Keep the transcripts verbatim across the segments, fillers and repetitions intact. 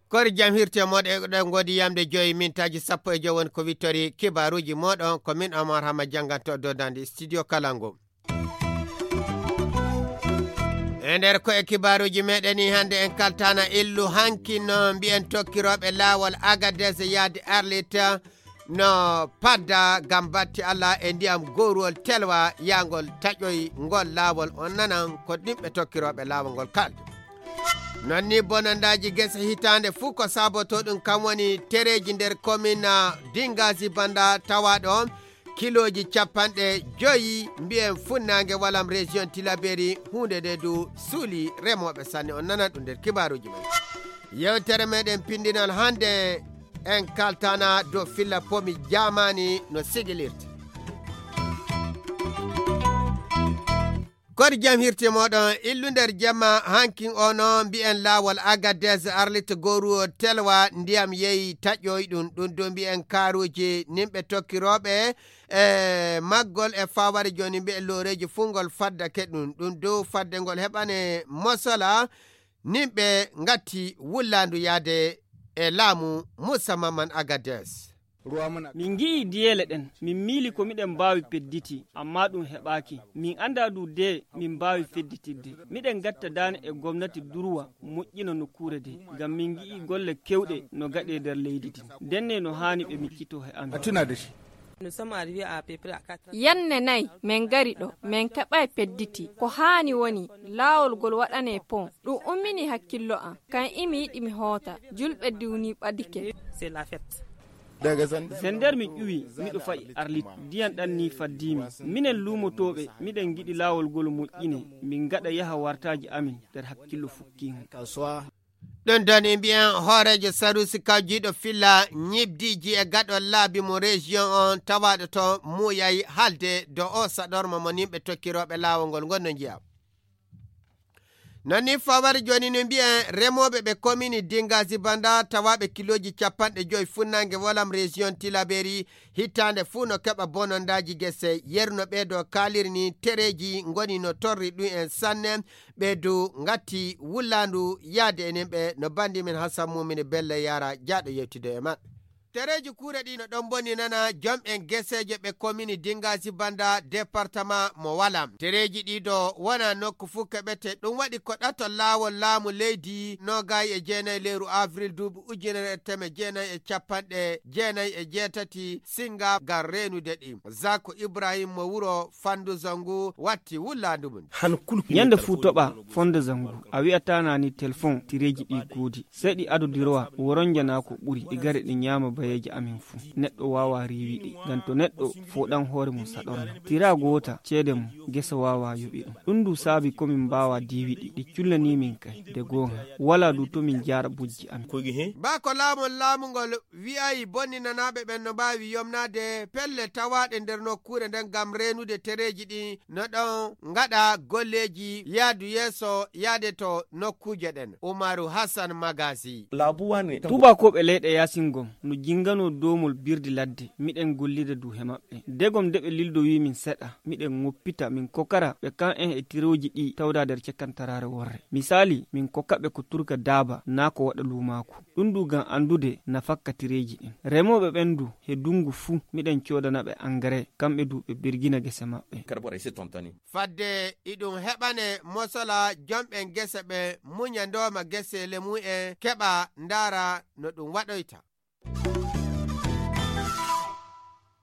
Kori jam hirte moɗo e ɗon godi yamde joyi mintaaji sappo e joyi woni ko wittori kibaaruuji moɗon ko min Omar Hama jannganto dodandi studio Kalango. E nder ko e kibaaruuji meɗen ni hannde en kaltana illu hanki no mbiyen tokkirooɓe laawol Agadez yaade Arlita no padda ngam batti Allah e ndiyam gowruwol telwa yahgol taƴoy ngol laawol on nanan ko ɗimɓe tokkirooɓe laawol ngol kaldi. Non ni bonandaaji gese hitaande fuu ko saboto ɗum kam woni tereeji nder komin Dingazi Banda tawaaɗo on kilooji capanɗe joyi mbiyen funnaange walam région Tilaberi huunde nde du suuli remooɓe sanne on nanan ɗum nder kibaaruuji men. Yewtere meɗen pindinal hannde en kaltana dow filla pomi jaamaani no sigilirta. Kodi jam hirti moɗon illu nder jamma hankin ono mbiyen laawol Agadez Arlit Goru Telwa ndiyam yehi taƴoy ɗum ɗum do mbiyen karuji nimɓe tokkirooɓe e maggol e fawari joni mbiyen looreji fungol faddake ɗum ɗum do fadde ngol heɓane mosola nimɓe ngatti wullandu yaade e laamu Musa Maman Agadez. Min ngi'ii diyeele ɗen, min miili ko miɗen mbaawi pedditi, ammaa ɗum heɓaaki. Min anndaa du de min mbaawi fedditirde. Miɗen ngatta daane e gomnati durwa moƴƴina nokkuure de, ngam min ngi'ii golle keewɗe no gaɗee nder leydi din. Ndenne no haani ɓe miccitoo he amin. Yanne nay min ngari ɗo, min keɓaay pedditi. Ko haani woni laawol ngol waɗanee pon. Ɗum umminii hakkillo am, kam imi yiɗi mi hoota. Julɓe diwnii ɓadike. Se nder mi ƴuwi, miɗo fa'i Arlit. Ndiyan ɗan nii faddiimi. Minen luumotooɓe, miɗen ngiɗi laawol ngol moƴƴinee, min ngaɗa yaha wartaaji amin nder hakkillo fukkiingo. Ɗum ɗon e mbiyen hooreejo Sarusi kawjiiɗo filla ñibdiiji e gaɗol laabi mo région on tawaaɗo to muuyay haalde do o saɗorma mo nimɓe tokkirooɓe laawol ngol ngonno njiya. Non ni fawari joni no mbiyen remooɓe ɓe komini Dingazi Banda tawaaɓe kilooji capanɗe joyi funnaange wolam région Tilaberi hitaande fuu no keɓa bonondaaji gese yerno ɓee do kaaliri ni tereeji ngoni no torri ɗum en sanne ɓe du ngatti wullaandu yaade enen ɓe no bandi men Hassan Mumini Bello Yara jaaɗo yewtude e maɓɓe. Tereeji kuure ɗi no ɗon boni nana jom'en geseeje ɓe komini Dingazi Banda département mo Walam. Tereeji ɗi do wona nokku fuu keɓete ɗum waɗi ko ɗato laawol laamu leydi noogay e jeenay leeru avril duuɓi ujunere e teme jeenay e capanɗe jeenay e jeetati singa ngam reenude ɗi. Zako Ibrahim mo wuro Fandu Zangu watti wullaandu mum. Ñande fuu toɓa Fonde Zangu a wi'ataa naa ni telefon tireeji ɗi goodi. Sey ɗi ado dirowa woronja naa ko ɓuri ɗi gare ɗi ñaama bayeeje amin fuu. Neɗɗo waawaa riiwi ɗi. Ngam to neɗɗo fooɗan hoore mum saɗorma. Tiraa goota ceede mum gese waawaa yoɓi ɗum. Ɗum du saabi ko min mbaawaa diiwi ɗi. Ɗi cullanii min kay. De goonga walaa du to min jaara bojji amin. Baa ko laamol laamungol wi'ay bonninanaaɓe ɓen no mbaawi yomnaade pelle tawaaɗe nder nokkuure nden ngam reenude tereeji ɗin no ɗon ngaɗa golleeji yaadu yeeso yaade to nokkuuje ɗen. Umaru Hassan Magasi. Tuubakooɓe leyɗe yaasin gom no jinganoo doomol birdi ladde, miɗen gollida du he maɓɓe. Degom de ɓe lildowi min seɗa, miɗen ŋoppita min kokara ɓe kan'en e tirooji ɗi tawda nder cekantaraare worre. Misaali, min kokaɓe ko turka daaba naa ko waɗa luumaaku. Ɗum du gam anndude nafakka tireeji ɗin. Remooɓe ɓen du he dunngu fuu miɗen coodana ɓe angare, kamɓe du ɓe birgina gese maɓɓe. Fadde iɗum heɓane mosola jomɓen gese ɓe muña ndooma geseele mu'en keɓa ndaara no ɗum waɗoyta.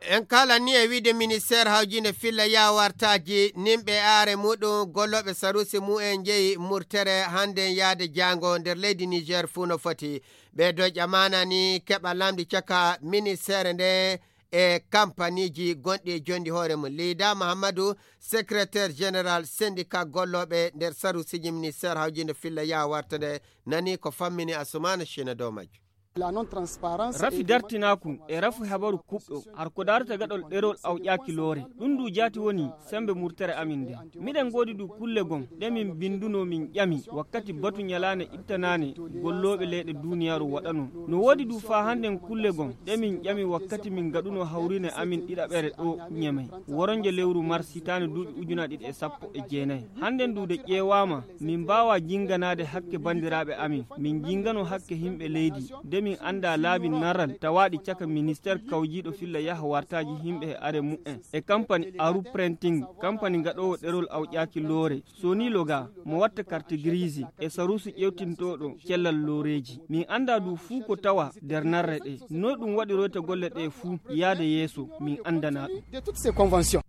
En kala ni e wiide ministeer hawjinde filla yawartaaji nimɓe aare muɗum gollooɓe sarusi mu'en jeyi murtere hannden yaade jaango nder leydi Niger fuu no foti. Ɓee doƴƴa maana ni keɓa lamndi caka ministeere nde e kampaniiji gonɗi e jonndi hoore mum. Liida Mahammadu, secrétaire général syndicat gollooɓe nder sarusiiji ministeer hawjinde filla yawarta nde nani ko fammini Asumaana Cina dow majjum. Rafi dartinaaku e rafi habaru kuɓɗo, har ko daarata gaɗol ɗerol awƴaaki loore. Ɗum ndu jaati woni semmbe murtere amin nde. Miɗen ngoodi du kulle gom ɗe min binndunoo min ƴami wakkati batu ñalaande ittanaane gollooɓe leyɗe duuniyaaru waɗanoo. No woodi du faa hannden kulle gom ɗe min ƴami wakkati min ngaɗunoo hawriine amin ɗiɗaɓere ɗo Ñemey. Woronje lewru mars hitaande duuɓi ujunaaji ɗiɗi e sappo e jeenayi. Hannden du de ƴeewaama, min mbaawaa jinnganaade hakke banndiraaɓe amin. Min njinnganoo hakke yimɓe leydi, de min anndaa laabi naral tawaaɗi caka ministeer kawjiiɗo filla yaha wartaaji yimɓe e are mu'en. E kampani Aru Printing, kampani gaɗoowo ɗerol awƴaaki loore, Sony Loga, mo watta karte giriisi e saruusu ƴeewtintooɗo cellal looreeji. Min anndaa du fuu ko tawa nder narre ɗe. Noy ɗum waɗiroyta golle ɗe fuu yaada yeeso, min anndanaa ɗum.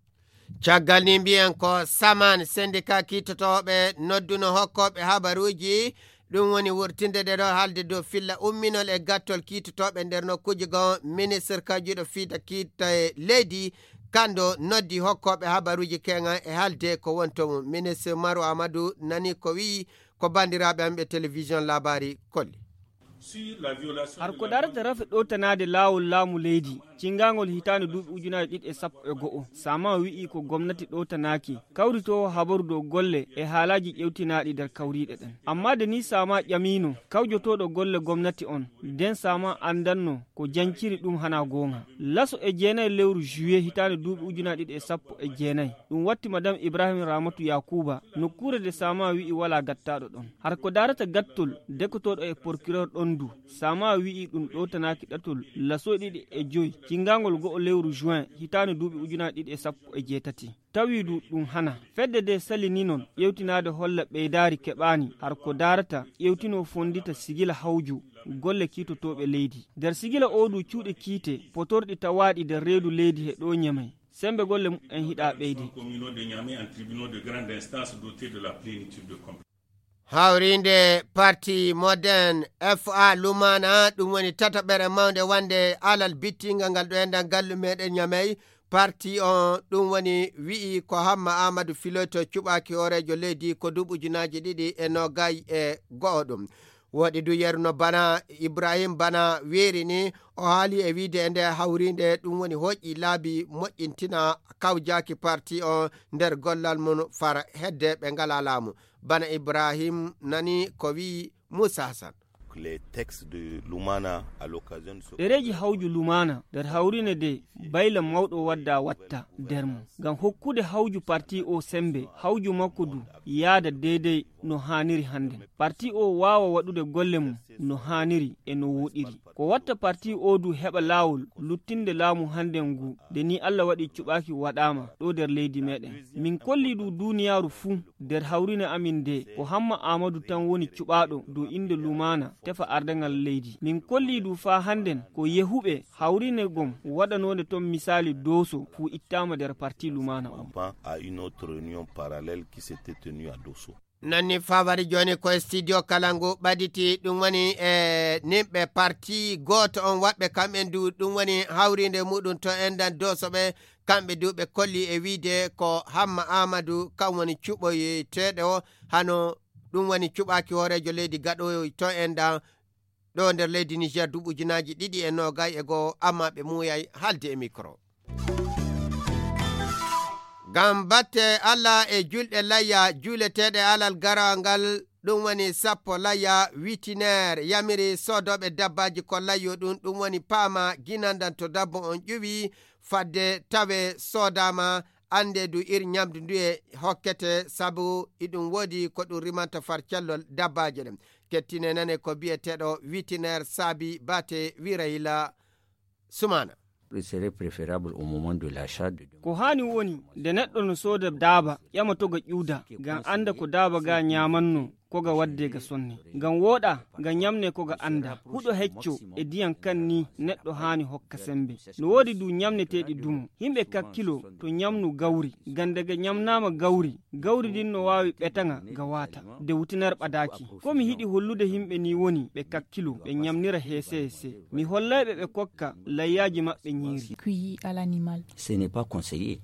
Caggal ni mbiyen ko Saman, sendika kittotooɓe nodduno hokkooɓe habaruuji, ɗum woni wurtinde ɗe ɗo haalde dow filla umminol e gattol kittotooɓe nder nokkuuji goo. Ministre kawjuɗo fiita kitta e leydi, kanndo noddi hokkooɓe habaruuji keŋan e haalde ko woni to mum. Ministre Maru Amadou nani ko wi'i ko banndiraaɓe am ɓe télévision Labari kolli. Har ko darata rafi ɗowtanaade laawol laamu leydi, cinngangol hitaande duuɓi ujunaaji ɗiɗi e sappo e go'o, Sama wi'i ko gomnati ɗowtanaaki, kawritoowo habaru dow golle e haalaaji ƴewtinaaɗi nder kawriiɗe ɗen. Ammaa de ni Sama ƴamiino, kawjotooɗo golle gomnati on, den Sama anndanno ko janciri ɗum hana goonga. Laso e jeenayi lewru juillet hitaande duuɓi ujunaaji ɗiɗi e sappo e jeenayi, ɗum watti Madame Ibrahim Ramatu Yakuba, nokkuure de Sama wi'i walaa gattaaɗo ɗon. Har ko darata gattol, dekotooɗo e porkiroor ɗon du, Sama wi'i ɗum ɗowtanaaki ɗatol laso ɗiɗi e joy, cinngangol go'o lewru juin, hitaande duuɓi ujunaaji ɗiɗi e sappo e jeetati. Tawi du ɗum hana. Fedde de salini non ƴewtinaade holla ɓeydaari keɓaani, har ko darata ƴewtinoo fonndita sigila hawju golle kiitotooɓe leydi. Nder sigila oo du cuuɗi kiite, potorɗi tawaaɗi nder reedu leydi he ɗo Ñemey. Semmbe golle mumen hiɗa ɓeyde. Hawriinde parti Modern F A Lumana, ɗum woni tataɓere mawnde wonde alal bittingal ngal ɗo e nder gallu meɗen Ñamey. Parti on ɗum woni wi'i ko Hamma Amadou Filoto cuɓaaki hooreejo leydi ko duuɓi ujunaaji ɗiɗi e noogay e go'o ɗum. Woɗi du yeru no bana Ibrahim Bana weeri ni, o haali e wiide e nde hawriinde ɗum woni hoƴƴi laabi moƴƴintina kawjaaki parti on nder gollal mum far hedde ɓe ngala laamu. Bana Ibrahim nani ko wi'i Moussa Hassan. Les textes de Lumana à l'occasion de ce ɗereeji hawju Lumana nder hawriine de bayla mawɗo wadda watta nder mum ngam hokkude hawju parti o semmbe, hawju makko du yaada deydey no haaniri hannden. Parti o waawa waɗude golle mum no haaniri e no woɗiri. Ko watta parti o du heɓa laawol luttinde laamu hannden ngu, nde ni Alla waɗi cuɓaaki waɗaama ɗo nder leydi meɗen. Min kolli du duuniyaaru fuu nder hawriine amin nde ko Hamma Aamadu tan woni cuɓaaɗo dow innde Lumana tefa ardaŋal leydi. Min kolli du faa hannden ko yehuɓe hawriine gom waɗanoonde ton misaali Dooso fuu ittaama nder parti Lumana on. Avant à une autre réunion parallèle qui s'était tenue à Dosso. Nanni fawari jooni ko e studio kala ngu ɓaditi, ɗum woni e nimɓe parti gooto on waɗɓe kamɓen du, ɗum woni hawriinde muɗum to endan Dooso ɓe, kamɓe du ɓe kolli e wiide ko Hamma Aamadu kam woni cuɓoyeteeɗo o, hano ɗum woni cuɓaaki hooreejo leydi gaɗooyo to endan ɗo nder leydi Niger duuɓi ujunaaji ɗiɗi e noogay e go'o, amma ɓe muuyay haalde e micro. Ngam batte Alla e julɗe layya juuleteeɗe alal garawal ngal, ɗum woni sappo layya, witineer yamiri soodooɓe dabbaaji ko layyo ɗum, ɗum woni paama ginandan to dabbo on ƴuwi, fadde tawe soodaama, annde du ir ñamdu nduye hokkete, sabu iɗum woodi ko ɗum rimanta far cellol dabbaaji ɗen. Kettine nane ko bi'eteeɗo witineer Saabi Baate Wirayla Sumaana. Il serait préférable au moment de l'achat de... Ko haani woni, nde neɗɗo no sooda daaba, ƴama to ga ƴuuda, ngam annda ko daaba ga ñaamanno, ko ga wadde ga sonne. Ngam wooɗa, ga ñamne ko ga annda. Huɗo hecco e diyan kan ni neɗɗo haani hokka sembe. No woodi du ñamneteeɗi dumo. Himɓe kakkilo to ñamnu gawri. Ngam nde ga ñamnaama gawri, gawri ndin no waawi ɓetaŋa ga waata, nde wutinar ɓadaaki. Ko mi hiɗi hollude himɓe ni woni ɓe kakkilo, ɓe ñamnira heese heese. Mi hollayɓe ɓe kokka layyaaji maɓɓe ñiiri. Cueilli à l'animal. Ce n'est pas conseillé.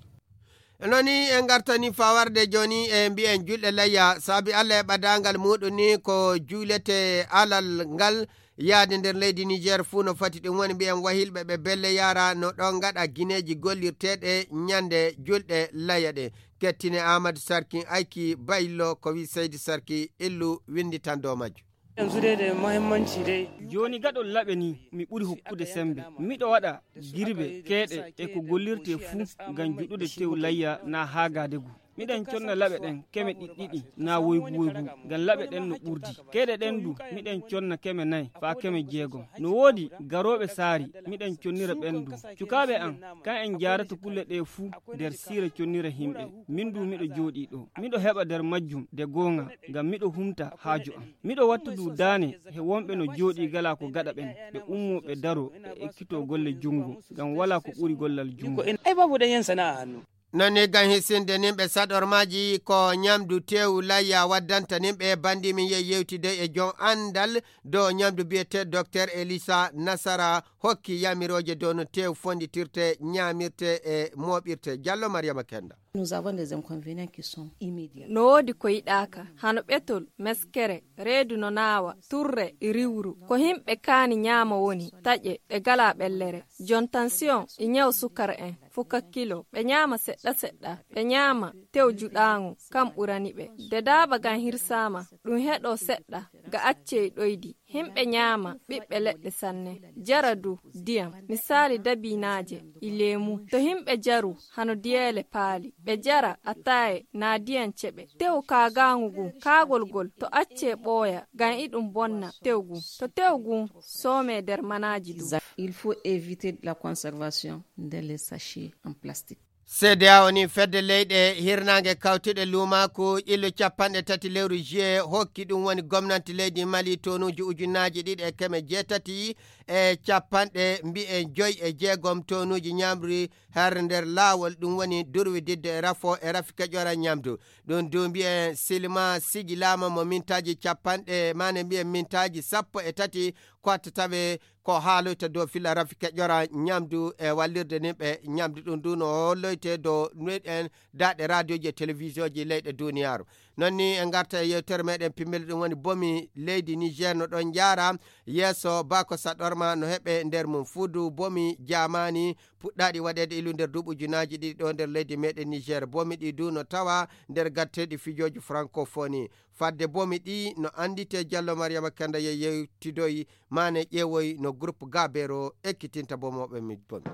E noon ni en ngartani fawarde jooni e mbiyen julɗe layya, saabi Alla e ɓadaangal muuɗum ni ko juulete alal ngal Yaade nder leydi Niger fuu no fati ɗum woni mbiyen wahilɓe ɓe belle yara no ɗon ngaɗa gineeji gollirteeɗe ñande julɗe laya ɗe. Kettine Amadou Sarkin Ayki Baylo ko wi Seydi Sarki illu winnditandoo majju. Yanzu dai da muhimmanci dai. Jooni gaɗol laɓe ni mi ɓuri hokkude sembe. Miɗo waɗa girbe keeɗe e ko gollirte fuu ngam juɗude tew layya na haagaade gu. Miɗen conna laɓe ɗen keme ɗiɗɗiɗi na woygu woygu ngam laɓe ɗen no ɓurdi. Keeɗe ɗen du miɗen conna keme nayi faa keme jeegom. No woodi garooɓe saari miɗen connira ɓen du. Cukaaɓe an kan en jaarata kulle ɗe fuu nder siira connira himɓe. Min du miɗo jooɗii ɗo. Miɗo heɓa nder majjum de goonga ngam miɗo humta haaju am. Miɗo wattu du daane he wonɓe no jooɗii gala ko gaɗa ɓen. Ɓe ummoo ɓe daroo ɓe ekkitoo golle junngo ngam walaa ko ɓuri gollal junngo. Ko en ay babu ɗan yan sana'a hannu. Non ni gam hisinde nimɓe saɗormaaji ko ñamdu teewu layya waddanta nimɓe bandi min yehi yewtide e joom anndal dow ñamdu biyetee Docteur Elisa Nasara hokki yamirooje dow no teewu fonditirte, ñaamirte e mooɓirte. Jallo Mariama Kenda. Nous avons des inconvénients qui sont immédiats. No woodi ko yiɗaaka, hano ɓetol, meskere, reedu no naawa, turre, riwru. Ko himɓe kaani ñaama woni, taƴe, ɓe galaa ɓellere. Jon tansiyon, e ñaw sukar en, fuka kilo, ɓe ñaama seɗɗa seɗɗa, ɓe ñaama tew juɗaaŋo, kam ɓurani ɓe. De daaba gan hirsaama, ɗum heɗoo seɗɗa, ga accee ɗoydi. Himɓe ñaama ɓiɓɓe leɗɗe sanne, jara du diyam, misaali dabiinaaje, e leemu. To himɓe jaru hano diyeele paali, ɓe jara ataaye naa diyam ceɓe. Tew kaagaaŋu gun, kaagol gol, to accee ɓooya, gam iɗum bonna tew gun. To tew gun soomee der manaaji du. Il faut éviter la conservation dans les sachets en plastique. C D A O ni fedde leyɗe hirnaange kawtuɗe luumaaku ƴillu capanɗe tati lewru juillet hokki ɗum woni gomnanti leydi Mali tonuuji ujunaaji ɗiɗi e keme jeetati e capanɗe mbiyen joy e jeegom tonuuji ñamri har nder laawol, ɗum woni durwididde e rafo e rafi keƴora ñamdu. Ɗum du mbiyen silma sigilaama mo mintaaji capanɗe, maane mbiyen mintaaji sappo e tati ko watta tawe ko haaloyta dow filla rafi keƴora ñamdu e wallirde nin ɓe ñamdu. Ɗum du no holloyte dow meɗen daaɗe raadiyoji e televisiyoji leyɗe duniyaaru. Non ni en garta e yewtere meɗen pimmel ɗum woni bomi leydi Niger no ɗon jaara yeeso bako saɗorma no heɓe nder mum fudu bomi jamani puɗɗaɗi waɗede ilu nder duuɓi ujunaaji ɗiɗi ɗo nder leydi meɗen Niger. Bomi ɗi du no tawa nder gatteɗi fijooji francophonie. Fadde bomi ɗi no anndite Jallo Mariama Kenda ye yewtidoyi maane ƴeewoy no groupe Gabeero ekkitinta bomooɓe mi bomi.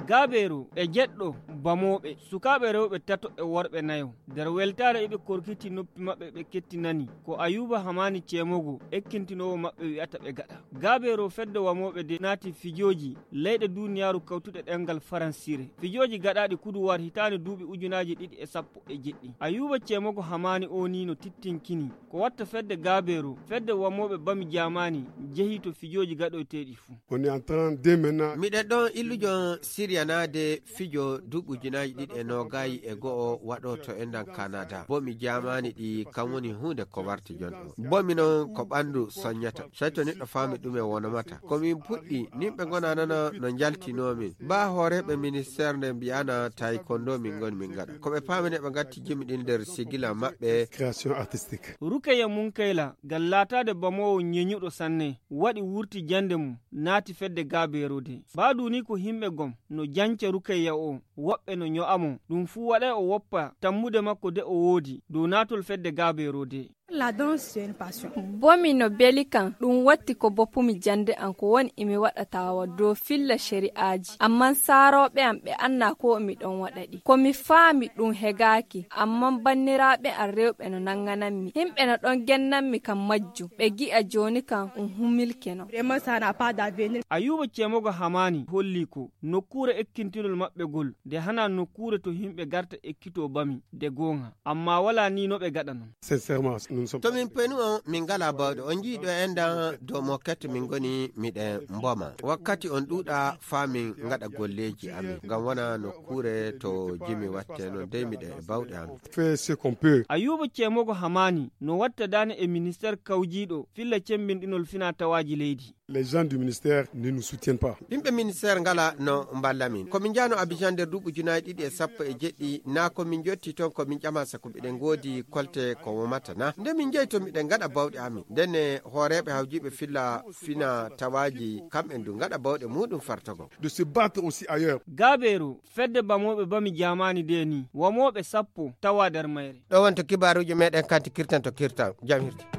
Gabeero e jeɗɗo bamooɓe, sukaaɓe rewɓe tato e worɓe nayo. Nder weltaare iɓe korkiti noppi maɓɓe ɓe kettinani. Ko Ayuba Hamani Ceemogo ekkintinoowo maɓɓe wi'ata ɓe gaɗa. Gabeero fedde wamooɓe de naati fijooji leyɗe duuniyaaru kawtuɗe ɗemngal faransiire. Fijooji gaɗaaɗi kuduwaar hitaande duuɓi ujunaaji ɗiɗi e sappo e jeɗɗi. Ayuba Ceemogo Hamani oo nii no tittinkini. Ko watta fedde Gabeero, fedde wamooɓe bami jaamaani jehii to fijooji gaɗoyteeɗi fuu. On est en train dès maintenant. Miɗen ɗon illujo siryanaade fijo duuɓi ujunaaji ɗiɗi e noogaayi e go'o waɗooto e nder Kanada. Bomi jaamaani ɗi kam woni huunde ko warti jon ɗo. Bomi noon ko ɓanndu soññata. Sey to neɗɗo faami ɗume wonomata. Ko min puɗɗi, nin ɓe ngona nana no njaltinoo min. Baa hooreeɓe ministeer nde mbi'ana tawi ko ndo min ngoni min ngaɗa. Ko ɓe paamini ɓe ngatti jimi ɗin nder sigila maɓɓe. Création artistique. Rukeya Munkayla, ngal laataade bamoowo ñeñuɗo sanne, waɗi wurti jannde mum, naati fedde Gabeero de. Baa du ni ko himɓe gom no janca Rukeya o, woɓɓe no ño'a mo. Ɗum fuu waɗay o woppa tammude makko de o woodi dow naatol fedde Gabeero de. La danse, c'est une passion. Bomi no beli kan, ɗum watti ko boppumi jannde an ko woni imi waɗa tawa dow filla shari'aaji. Amman saarooɓe am ɓe annaa ko mi ɗon waɗa ɗi. Ko mi faami ɗum hegaaki, amman banniraaɓe am rewɓe no nanganammi. Himɓe no ɗon gennammi kan majjum. Ɓe gi'a jooni kan um humilke non. Vraiment, ça n'a pas d'avenir. Ayuba Ceemogo Hamaani holli ko nokkuure ekkintinol maɓɓe gol, nde hanaa nokkuure to himɓe garta ekkitoo bami, de gooŋa. Ammaa walaa nii no ɓe gaɗa non. Sincèrement, nous ne sommes To min penu on, min ngalaa bawɗe. On njii ɗo endan dow moket min ngoni miɗen mboma. Wakkati on ɗuuɗa faa min ngaɗa golleeji amin. Ngam wona nokkuure to jimi watte non dey miɗen e bawɗe amin. Fait ce qu'on peut. Ayuba Ceemogo Hamaani no watta daane e ministeer kawjiiɗo filla cemmbinɗinol finaa tawaaji leydi. Les gens du ministère ne nous soutiennent pas. Yimɓe ministère ngala no mballa min. Ko min njahno Abidjan nder duuɓi ujunaaji ɗiɗi e sappo e jeɗɗi, naa ko min njotti toon ko min ƴama, sabu miɗen ngoodi kolte ko womata na. Nde min njehi toon miɗen ngaɗa bawɗe amin. Nden ne hooreeɓe hawjiiɓe filla fina tawaaji kamɓen du ngaɗa bawɗe muɗum fartogol. De se battre aussi ailleurs. Gabeeru, fedde bamooɓe bami jaamaani de ni, wamooɓe sappo tawa nder mayre. Ɗo wonto kibaaruuji meɗen kanti kirtan to kirtan. Jam hirti.